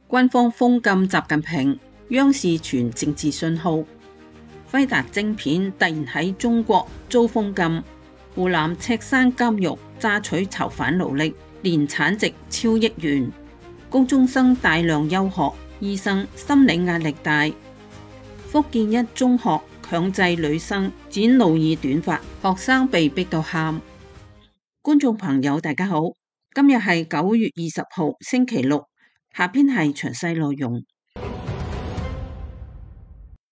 軍方封禁習近平，央視傳政治信號。輝達晶片突然喺中國遭封禁，湖南赤山監獄榨取囚犯勞力，年產值超億元。高中生大量休學，醫生心理壓力大。福建一中學強制女生剪努爾短髮，學生被逼到喊。觀眾朋友大家好，今日係9月20號星期六，下邊係詳細內容。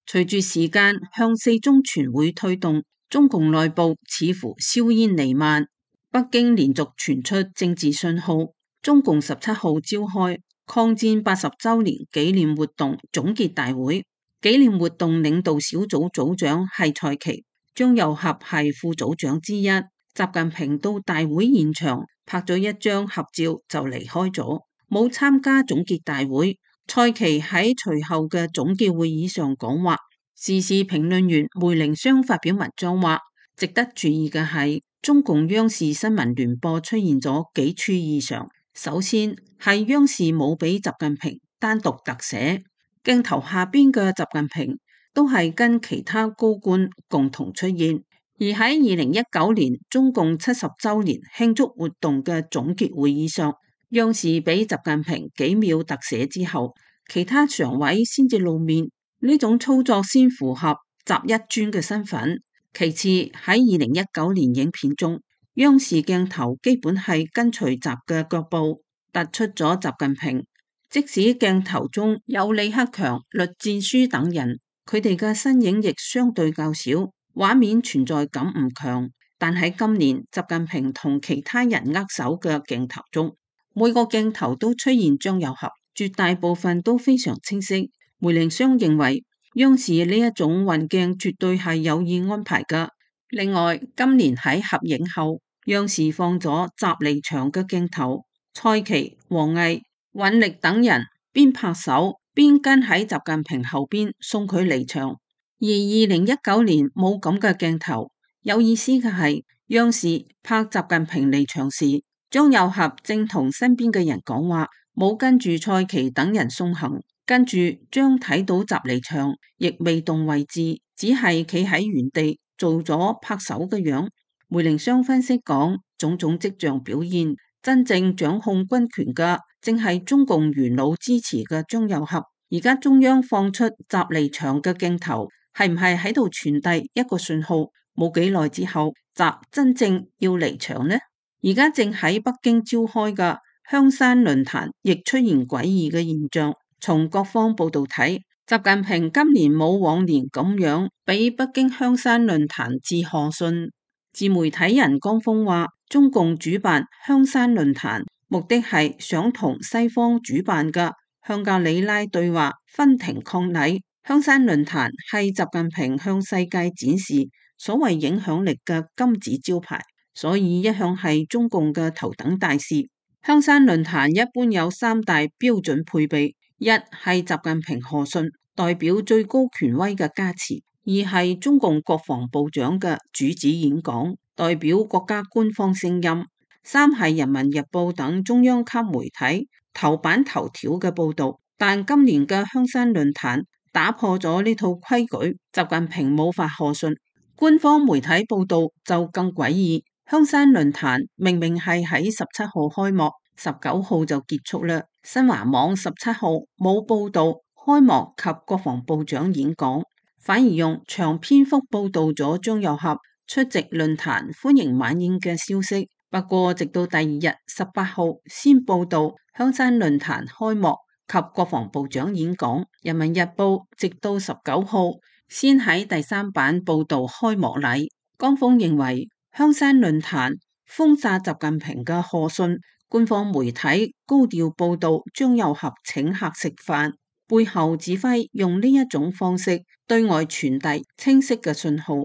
隨住時間向四中全會推動，中共內部似乎硝煙彌漫。北京連續傳出政治信號，中共17號召開抗戰80週年紀念活動總結大會。紀念活動領導小組組長係蔡奇，張又俠係副組長之一。習近平到大會現場拍咗一張合照就離開咗，冇參加總結大會。蔡奇喺隨後嘅總結會議上講話。時事評論員梅玲湘發表文章話，值得注意嘅係中共央視新聞聯播出現咗幾處異常。首先係央視冇俾習近平單獨特寫，鏡頭下邊嘅習近平都係跟其他高官共同出現。而喺2019年中共70週年慶祝活動嘅總結會議上，央視俾習近平幾秒特寫之後，其他常委先至露面。呢種操作先符合習一尊嘅身份。其次喺2019年影片中，央視鏡頭基本係跟隨習嘅腳步，突出咗習近平。即使鏡頭中有李克強、栗戰書等人，佢哋嘅身影亦相對較少，畫面存在感唔強。但喺今年習近平同其他人握手嘅鏡頭中，每個鏡頭都出現張又俠，絕大部分都非常清晰。梅玲湘認為央視呢一種運鏡絕對係有意安排㗎。另外，今年喺合影後，央視放咗習離場嘅鏡頭，蔡奇、王毅、尹力等人邊拍手邊跟喺習近平後邊送佢離場。而2019年冇咁嘅鏡頭。有意思嘅係，央視拍習近平離場時，張又俠正同身邊嘅人講話，冇跟住蔡奇等人送行。跟住將睇到習離場，亦未動位置，只係企喺原地做咗拍手嘅樣。梅玲湘分析講，種種跡象表現，真正掌控軍權嘅正係中共元老支持嘅張又俠。而家中央放出習離場嘅鏡頭，係唔係喺度傳遞一個信號？冇幾耐之後，習真正要離場呢？而家正喺北京召開嘅香山論壇，亦出現詭異嘅現象。從各方報道睇，習近平今年冇往年咁樣俾北京香山論壇致賀信。自媒體人江峰話，中共主辦香山論壇，目的係想同西方主辦嘅香格里拉對話分庭抗禮。香山論壇係習近平向世界展示所謂影響力嘅金字招牌，所以一向係中共嘅頭等大事。香山論壇一般有3大標準配備。一係習近平賀信，代表最高權威嘅加持；二係中共國防部長嘅主旨演講，代表國家官方聲音；三係人民日報等中央級媒體頭版頭條嘅報道。但今年嘅香山論壇打破咗呢套規矩，習近平冇發賀信，官方媒體報道就更詭異。香山論壇明明係喺17號開幕，19號就結束啦。新華網17號冇報道開幕及國防部長演講，反而用長篇幅報道咗張又俠出席論壇歡迎晚宴嘅消息。不過直到第二日18號先報道香山論壇開幕及國防部長演講。人民日報直到19號先喺第3版報道開幕禮。江峰認為香山論壇封殺習近平嘅賀信，官方媒體高調報道張又俠請客食飯，背後指揮用呢一種方式對外傳遞清晰嘅信號。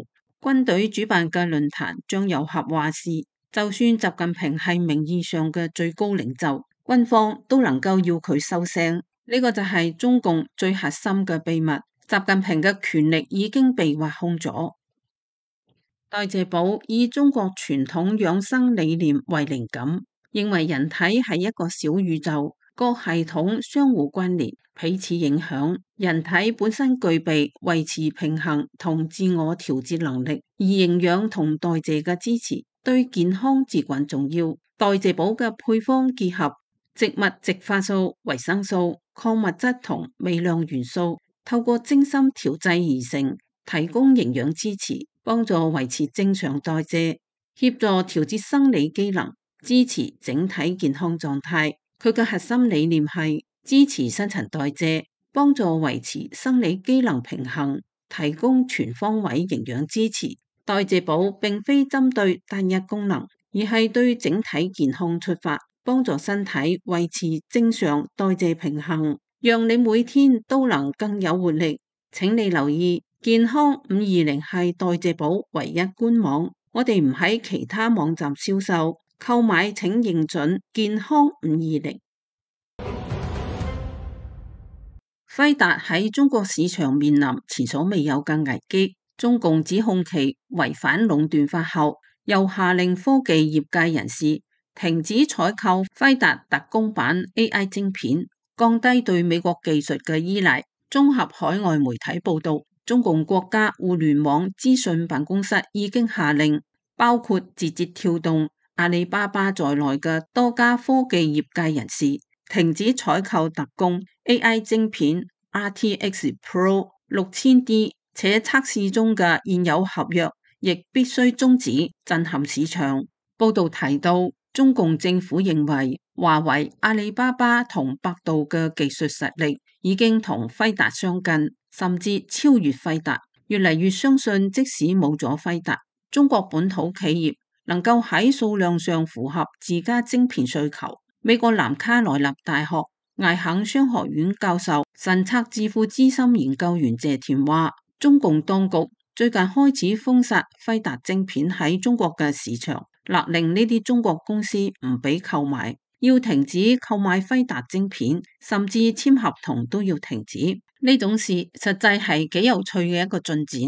軍隊主辦嘅論壇，張又俠話事，就算習近平係名義上嘅最高領袖，軍方都能夠要佢收聲。呢個就係中共最核心嘅秘密。習近平嘅權力已經被挖空咗。代謝寶以中國傳統養生理念為靈感，認為人體係一個小宇宙，各系統相互關聯，彼此影響。人體本身具備維持平衡同自我調節能力，而營養同代謝嘅支持對健康至關重要。代謝寶嘅配方結合植物植化素、維生素、礦物質同微量元素，透過精心調製而成，提供營養支持，幫助維持正常代謝，協助調節生理機能，支持整體健康狀態。佢嘅核心理念係支持新陳代謝，幫助維持生理機能平衡，提供全方位營養支持。代謝寶並非針對單一功能，而係對整體健康出發，幫助身體維持正常代謝平衡，讓你每天都能更有活力。請你留意，健康520係代謝寶唯一官網，我哋唔喺其他網站銷售。購買請認準健康520。輝達喺中國市場面臨前所未有嘅危機，中共指控其違反壟斷法後，又下令科技業界人士停止採購輝達特供版 AI 晶片，降低對美國技術嘅依賴。綜合海外媒體報道，中共國家互聯網資訊辦公室已經下令，包括字節跳動、阿里巴巴在內嘅多家科技業界人士停止採購特供 AI 晶片 RTX Pro 6000D， 且測試中嘅現有合約亦必須終止，震撼市場。報道提到，中共政府認為華為、阿里巴巴同百度嘅技術實力已經同輝達相近，甚至超越輝達，越嚟越相信即使冇咗輝達，中國本土企業能夠喺數量上符合自家晶片需求。美國南卡羅來納大學艾肯商學院教授、神策智庫資深研究員謝田話，中共當局最近開始封殺輝達晶片喺中國嘅市場，勒令呢啲中國公司唔俾購買，要停止購買輝達晶片，甚至簽合同都要停止。呢種事實際係幾有趣嘅一個進展，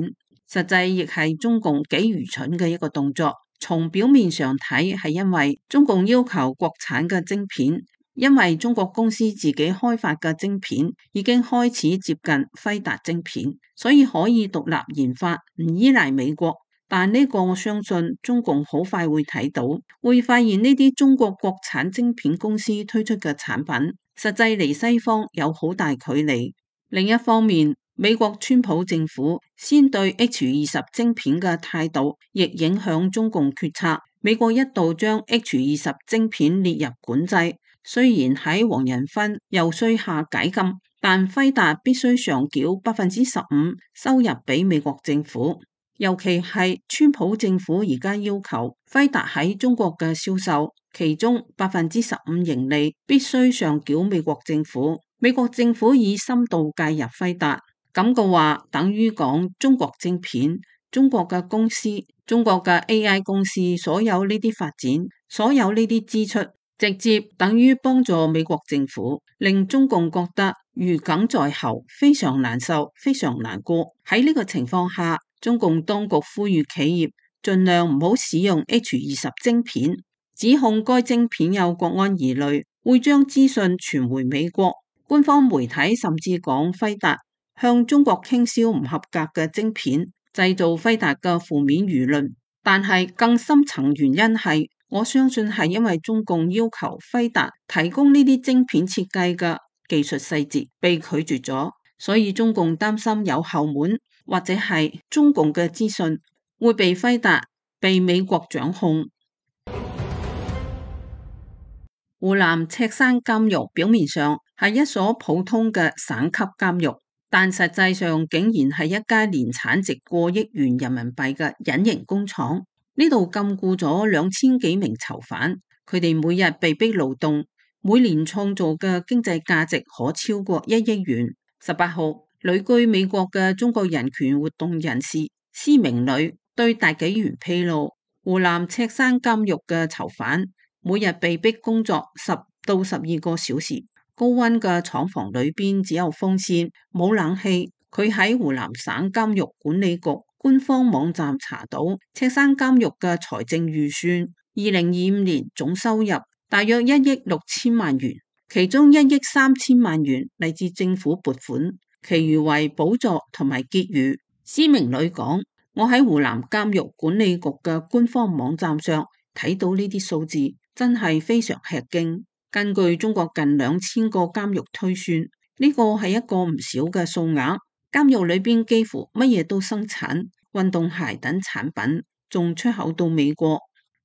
實際亦係中共幾愚蠢嘅一個動作。從表面上睇，係因為中共要求國產嘅晶片，因為中國公司自己開發嘅晶片已經開始接近輝達晶片，所以可以獨立研發，唔依賴美國。但呢個我相信中共好快會睇到，會發現呢啲中國國產晶片公司推出嘅產品，實際離西方有好大距離。另一方面，美國川普政府先對 H20 晶片嘅態度，亦影響中共決策。美國一度將 H20 晶片列入管制，雖然喺黃仁勳遊說下解禁，但輝達必須上繳15%收入俾美國政府。尤其係川普政府而家要求輝達喺中國嘅銷售，其中15%盈利必須上繳美國政府。美國政府以深度介入輝達，咁嘅話等於講中國晶片、中國嘅公司、中國嘅 AI 公司，所有呢啲發展、所有呢啲支出，直接等於幫助美國政府，令中共覺得如鯁在喉，非常難受，非常難過。喺呢個情況下，中共當局呼籲企業盡量唔好使用 H20 晶片，指控該晶片有國安疑慮，會將資訊傳回美國。官方媒體甚至講輝達向中國傾銷唔合格嘅晶片，製造輝達嘅負面輿論。但係更深層原因係，我相信係因為中共要求輝達提供呢啲晶片設計嘅技術細節被拒絕咗，所以中共擔心有後門，或者係中共嘅資訊會被輝達、被美國掌控。湖南赤山監獄表面上係一所普通嘅省級監獄，但實際上竟然係一家年產值過億元人民幣嘅隱形工廠。呢度禁錮咗2000幾名囚犯，佢哋每日被逼勞動，每年創造嘅經濟價值可超過1億元。18號，旅居美國嘅中國人權活動人士施明磊對大紀元披露，湖南赤山監獄嘅囚犯每日被逼工作10到12個小時，高溫嘅廠房裏邊只有風扇，冇冷氣。佢喺湖南省監獄管理局官方網站查到，赤山監獄嘅財政預算2025年總收入大約1億6千萬元，其中1億3千萬元嚟自政府撥款，其餘為補助同埋結餘。施明磊講：我喺湖南監獄管理局嘅官方網站上睇到呢啲數字，真係非常吃驚。根據中國近2000個監獄推算，呢個係一個唔少嘅數額。監獄裏邊幾乎乜嘢都生產，運動鞋等產品仲出口到美國。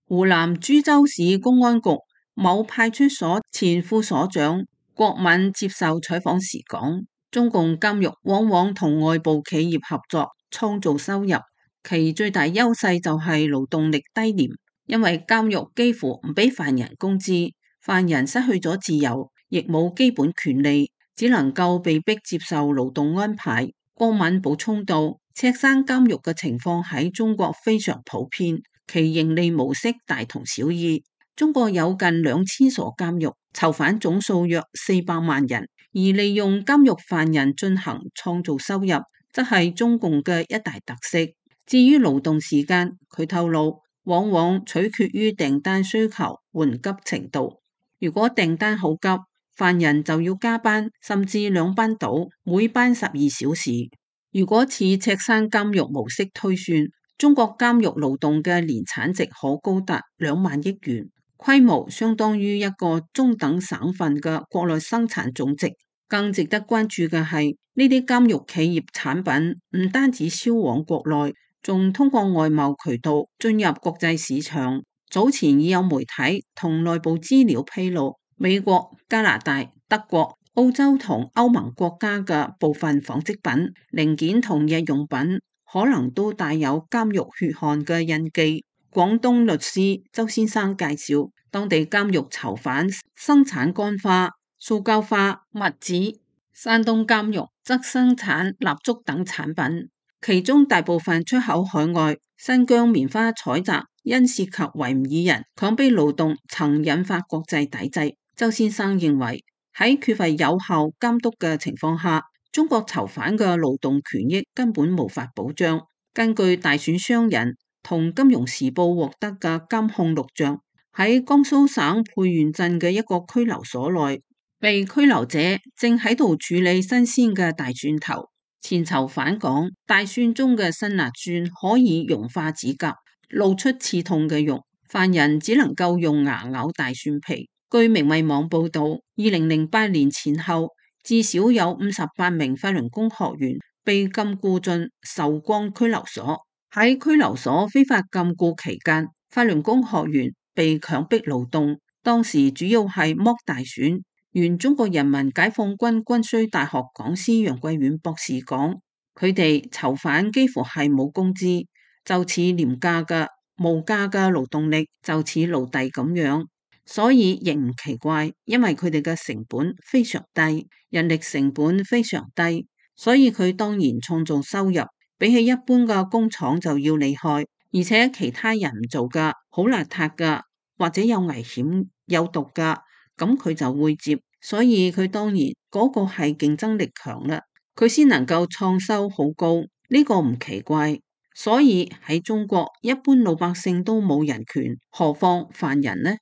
湖南株洲市公安局某派出所前副所長郭敏接受採訪時講：中共監獄往往同外部企業合作創造收入，其最大優勢就係勞動力低廉，因為監獄幾乎唔俾犯人工資，犯人失去咗自由，亦冇基本權利，只能夠被逼接受勞動安排。郭敏補充道：赤山監獄嘅情況喺中國非常普遍，其盈利模式大同小異。中國有近2000所監獄，囚犯總數約400萬人，而利用監獄犯人進行創造收入，則係中共嘅一大特色。至於勞動時間，佢透露往往取決於訂單需求緩急程度。如果訂單好急，犯人就要加班，甚至2班倒，每班12小時。如果似赤山監獄模式推算，中國監獄勞動嘅年產值可高達2萬億元。規模相當於一個中等省份嘅國內生產總值。更值得關注嘅係，呢啲監獄企業產品唔單止銷往國內，仲通過外貿渠道進入國際市場。早前已有媒體同內部資料披露，美國、加拿大、德國、澳洲同歐盟國家嘅部分紡織品、零件同日用品可能都帶有監獄血汗嘅印記。廣東律師周先生介紹，當地監獄囚犯生產乾花、塑膠花、襪子；山東監獄則生產蠟燭等產品，其中大部分出口海外。新疆棉花採摘因涉及維吾爾人強迫勞動，曾引發國際抵制。周先生認為，喺缺乏有效監督嘅情況下，中國囚犯嘅勞動權益根本無法保障。根據大選商人同金融時報獲得嘅監控錄像，喺江蘇省沛縣鎮嘅一個拘留所內，被拘留者正喺度處理新鮮嘅大蒜頭。前囚犯講，大蒜中嘅辛辣酸可以溶化指甲，露出刺痛嘅肉，犯人只能夠用牙咬大蒜皮。據明慧網報道，2008年前後，至少有58名法輪功學員被禁錮進壽光拘留所。喺拘留所非法禁錮期間，法輪功學員被強迫勞動，當時主要係剝大蒜。原中國人民解放軍軍需大學講師楊貴遠博士講，佢哋囚犯幾乎係冇工資，就似廉價嘅無價嘅勞動力，就似奴隸咁樣，所以亦唔奇怪，因為佢哋嘅成本非常低，人力成本非常低，所以佢當然創造收入比起一般嘅工廠就要厲害，而且其他人唔做㗎，好邋遢㗎，或者有危險有毒㗎，咁佢就會接，所以佢當然嗰個係競爭力強啦，佢先能夠創收好高，呢個唔奇怪。所以喺中國，一般老百姓都冇人權，何況犯人呢？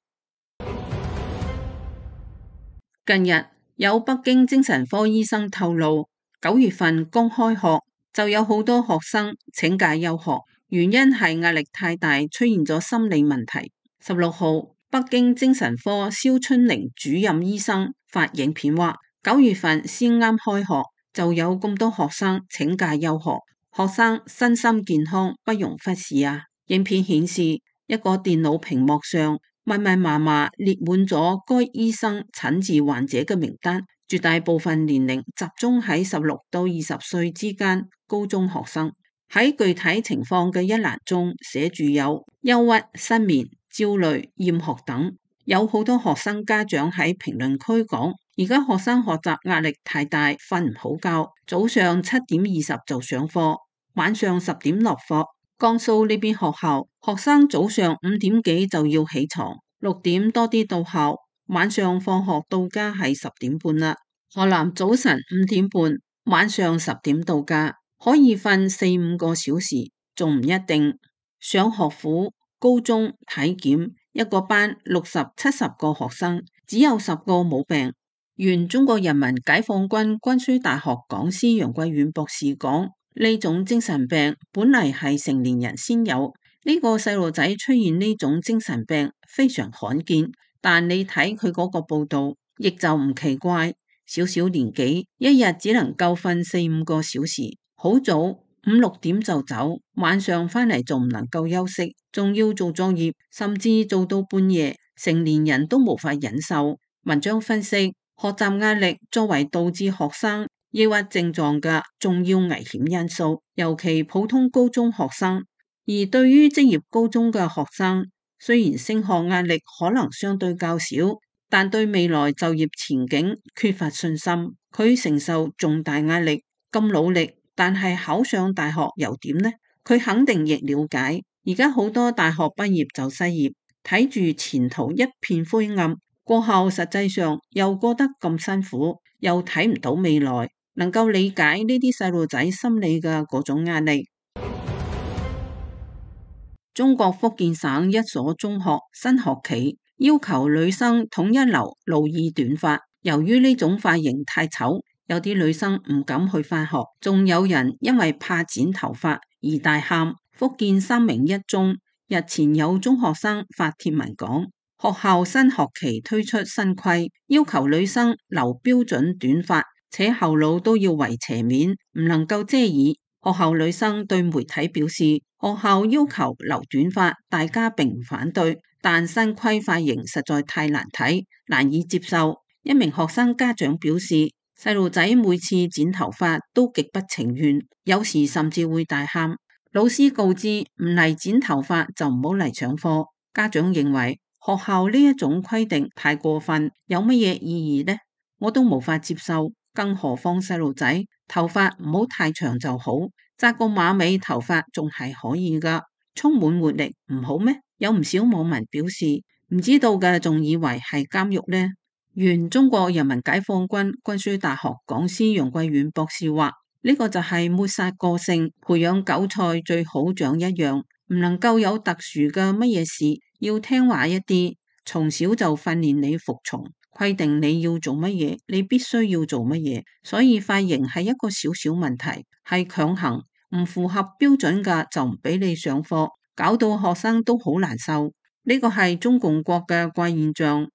近日有北京精神科醫生透露，9月份剛開學就有好多學生請假休學，原因係壓力太大，出現咗心理問題。16號，北京精神科肖春玲主任醫生發影片話，9月份先啱開學就有咁多學生請假休學，學生身心健康不容忽視啊！影片顯示一個電腦屏幕上密密麻麻列滿咗該醫生診治患者嘅名單，絕大部分年齡集中喺16到20歲之間高中學生。喺具體情況嘅一欄中寫住有憂鬱、失眠、焦慮、厭學等。有好多學生家長喺評論區講，而家學生學習壓力太大，瞓唔好覺，早上7點20就上課，晚上10點落課。江蘇呢邊學校，學生早上5點幾就要起床，6點多啲到校，晚上放學到家係10點半啦。河南早晨5點半，晚上10點到家，可以瞓4-5個小時，仲唔一定。上學府高中體檢，一個班60-70個學生，只有10個冇病。原中國人民解放軍軍需大學講師楊貴遠博士講，呢種精神病本嚟係成年人先有，呢個細路仔出現呢種精神病非常罕見，但你睇佢嗰個報道，亦就唔奇怪。小小年紀，一日只能夠瞓4-5個小時，好早5-6點就走，晚上返嚟仲唔能夠休息，仲要做作業，甚至做到半夜，成年人都無法忍受。文章分析，學習壓力作為導致學生抑鬱症狀嘅重要危險因素，尤其普通高中學生。而對於職業高中嘅學生，雖然升學壓力可能相對較少，但對未來就業前景缺乏信心，佢承受重大壓力，咁努力，但係考上大學又點呢？佢肯定亦了解，而家好多大學畢業就失業，睇住前途一片灰暗，過後實際上又過得咁辛苦，又睇唔到未來，能夠理解呢啲細路仔心理嘅嗰種壓力。中國福建省一所中學新學期要求女生統一留路二短髮，由於呢種髮型太醜，有啲女生唔敢去返學，仲有人因為怕剪頭髮而大喊。福建三明一中日前有中學生發帖文講，學校新學期推出新規，要求女生留標準短髮，且後腦都要圍斜面，唔能夠遮耳。學校女生對媒體表示，學校要求留短髮，大家並唔反對，但新規髮型實在太難睇，難以接受。一名學生家長表示，細路仔每次剪頭髮都極不情願，有時甚至會大喊。老師告知唔嚟剪頭髮就唔好嚟上課。家長認為學校呢一種規定太過分，有乜嘢意義呢？我都無法接受。更何況細路仔頭髮唔好太長就好，紮個馬尾頭髮仲係可以噶，充滿活力唔好咩？有唔少網民表示唔知道嘅，仲以為係監獄呢。原中國人民解放軍軍需大學講師楊貴遠博士話：呢個就係抹殺個性，培養韭菜最好長一樣，唔能夠有特殊嘅乜嘢事，要聽話一啲，從小就訓練你服從。規定你要做乜嘢，你必須要做乜嘢，所以髮型係一個小小問題，係強行唔符合標準嘅就唔俾你上課，搞到學生都好難受。呢個係中共國嘅怪現象。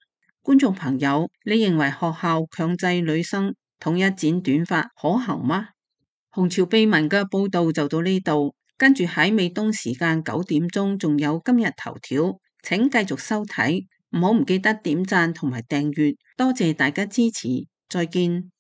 觀眾朋友，你認為學校強制女生統一剪短髮可行嗎？紅潮秘聞嘅報道就到呢度，跟住喺美東時間9點鐘仲有今日頭條，請繼續收睇。唔好唔記得點讚同埋訂閱，多謝大家支持，再見。